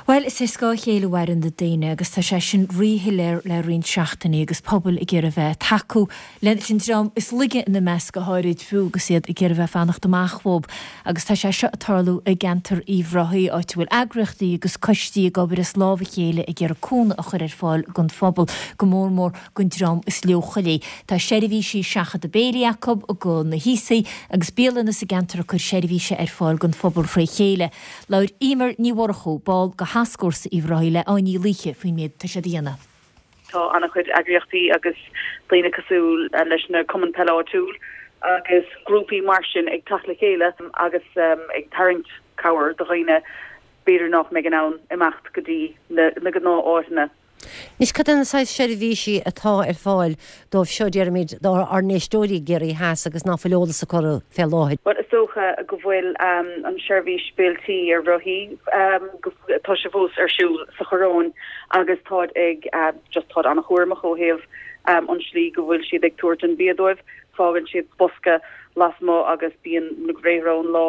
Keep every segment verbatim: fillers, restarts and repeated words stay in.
Well, is ar scáth a chéile a mhaireann na daoine agus tá sé sin ríshoiléir le roinnt seachtainí agus pobail ag iarraidh bheith tacú leis an dream is laige ina measc go háirid fiú agus iad ag iarraidh bheith fanacht amach fúthu. Agus tá sé seo ag tarlú i gceantar Uíbh Ráthaigh áit a bhfuil eagraíochtaí agus coistí ag obair as lámh a chéile ag iarraidh cúnamh a chur ar fáil don phobal go mór mór don dream is leochailí. Tá seirbhísí seachadta béilí acu go na haosaigh agus bialanna sa gceantar ag cur seirbhíse ar fáil don phobal fré chéile. Labhair Emer Ní Mhurchú ball de Thascfhórsa Uíbh Ráthaigh le Áine Ní Laoithe faoin méid tá siad a dhéanamh. Tá an-chuid eagraíochtaí agus daoine cosúil leis na cumainn peile áitiúil agus grúpaí mar sin ag teacht le chéile agus um, ag tarraingt cabhair do dhaoine b'fhéidir nach mbeidh in ann imeacht go dtí na, na gnáth-áiteanna. Anois cad é na saghas seirbhísí atá ar fáil dóibh seo déarfaimid dár n-éisteoirí i gCiarraí Theas agus nach bhfuil eolas acu fé láthair. Well is dócha go bhfuil um, an seirbhís béiltí ar rothaí um, tá sé fós ar siúl sa Choróin agus táid ag uh, just táid an-chúramach ó thaobh um, an slí go bhfuil siad ag tabhairt an bia dóibh, fágann siad bosca lasmuigh agus bíonn na gréithre ón lá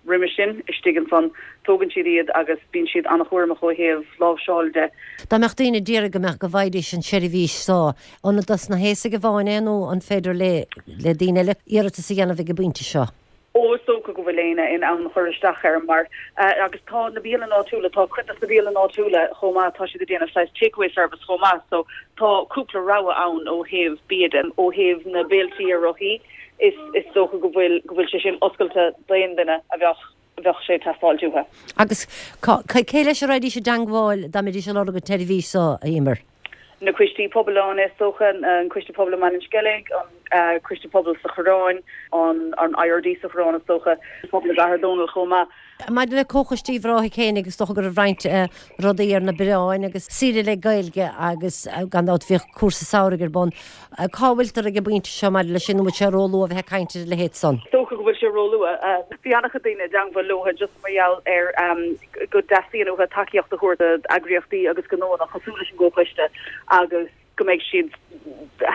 roimhe sin istigh ansan tógann siad iad agus bíonn siad an-chúramach ó thaobh láimhseáil de. Dá mbeadh daoine ag iarraidh go mbeadh go bhfaighidís an seirbhís seo an dos na haosaigh amháin é nó an féidir le le daoine eile iarratas a dhéanamh ag an bpointe seo. Ó is dócha go bhfuil éinne in ann chur isteach air mar uh, agus tá na bialanna áitiúla tá cuid na bialanna áitiúla chomh maith tá siad ag déanamh saghas takeaway service chomh maith so tá cúpla rogha ann ó thaobh bia de ó thaobh na béiltí ar rothaí is is dócha go bhfuil go bhfuil sé sin oscailte d'aon duine a bheadh bheadh sé teastáil uathu. Agus cé leis a raghaidís i dteagmháil dá mbeidís ag lorg an tseirbhís seo a Emer. Na coistí pobail ann is dócha an coiste pobail man Skellig an uh, coiste pobail sa Choróin an an IRD sa Choróin is dócha pobal Gahar Donald chomh maith. Maidir le Comhchoiste Uíbh Ráthaigh féin agus dócha go raibh roinnt uh, rudaí ar na bioráin agus saoire le Gaeilge agus uh, gan dabht bhíodh cúrsa samhraidh ar bun. Uh, cá bhfuiltear ag an bpointe seo maidir leis sin bhfuil sé róluath a bheith ag caint ar a leithéid san. Dócha go bhfuil sé róluath bhí an-chuid daoine i dteagmháil leo just mar gheall ar um, go dteastaíonn uathu tacaíocht a thabhairt d'eagraíochtaí agus gnónna cosúil leis an gcomhchoiste agus go mbeidh siad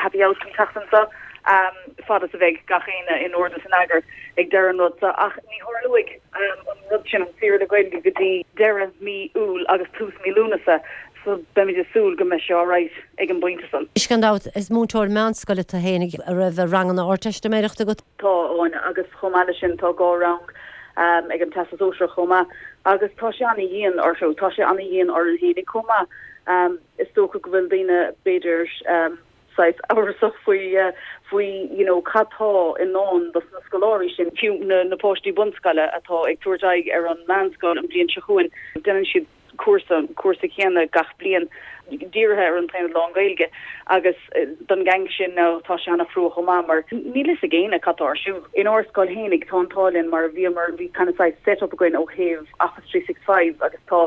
happy out an tseachtain seo um, fad is a bheidh gach éinne in ord is in eagar ag deireadh an rud ach ní tharlóidh um, an rud sin an saoire le Gaeilge go dtí deireadh mí Iúil agus tús mí Lúnasa so beimid ag súil go mbeidh sé alright ag an bpointe san. Is gan dabht is múinteoir meánscoile tú féin a raibh ranganna Ardteistiméireachta agat? Tá ann agus chomh maith leis sin tá dhá rang um, ag an Teastas Sóisearach chomh maith agus tá sé an-dian orthu tá sé an-dian orainn féinig chomh maith um, is dócha go bhfuil daoine b'fhéidir um, saghas amhrasach faoi uh, faoi you know cad tá i ndán dos na scoláirí sin fiú na, na páistí bunscoile atá ag tabhairt aghaidh ar an meánscoil an bhliain seo chugainn déanann siad cúrsa cúrsa céanna gach bliain dírithe ar an taonad lán-Ghaeilge agus eh, don gang sin ná tá sé an-chrua chomh maith mar níl a fhios ag éinne cad tá ar siúl. In ár scoil féinig tá an t-ádh linn mar bhíomar bhí kind of saghas setup againn ó thaobh Office three six five agus tá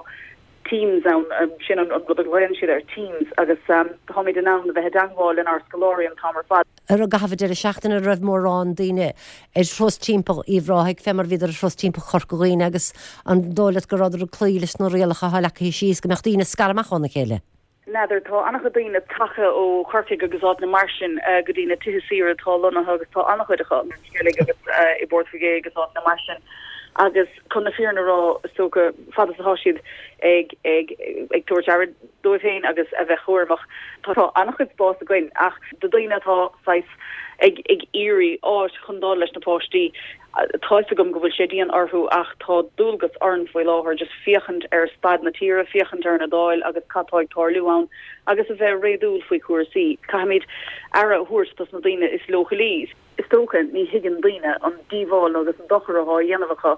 Teams ann um, sin an an rud a ghlaonn siad ar Teams agus um, táimid in ann a bheith i dteagmháil lenár scoláirí an t-am ar fad. Ar an gcaitheamh deireadh seachtaine raibh mórán daoine ar thuras timpeall Uíbh Ráthaigh fé mar bhíodar ar thuras timpeall Chorca Dhuibhne agus an dóigh leat go rabhadar ag cloí leis na rialacha atá leagtha síos go mbeadh daoine scartha amach óna chéile. N'fheadar tá an-chuid daoine tagtha ó Chorcaigh agus áiteanna mar sin uh, go dtí na tithe saoire atá lonnaithe agus tá an-chuid acu Skellig agus uh, i bPort agus áiteanna mar sin. agus chun na fírinne a rá so go fad is atá siad ag ag ag tabhairt aire dóibh féin agus a bheith cúramach tá an-chuid spás againn ach do daoine atá saghas ag ag iarraidh áit chun dul leis na páistí tá a fhios agam go bhfuil sé dian orthu ach tá dualgas orainn faoi láthair just féachaint ar staid na tíre féachaint ar an Dáil agus cad tá ag tarlú ann agus a bheith réadúil faoi chúrsaí caithfimid aire a thabhairt dos na daoine is leochailí. Is dócha ní thuigeann daoine an díobháil agus an dochar atá á dhéanamh acu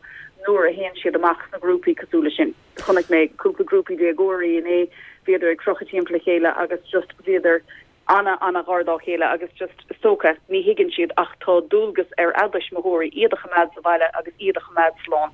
nuair a théann siad amach sna grúpaí cosúil leis sin. Chonaic mé cúpla grúpaí déagóirí inné bhíodar ag crochadh timpeall le chéile agus just bhíodar ana ana ghar dá chéile agus just is dócha ní thuigeann siad ach tá dualgas ar a dtuismitheoirí iad a choimeád sa bhaile agus iad a choimeád slán.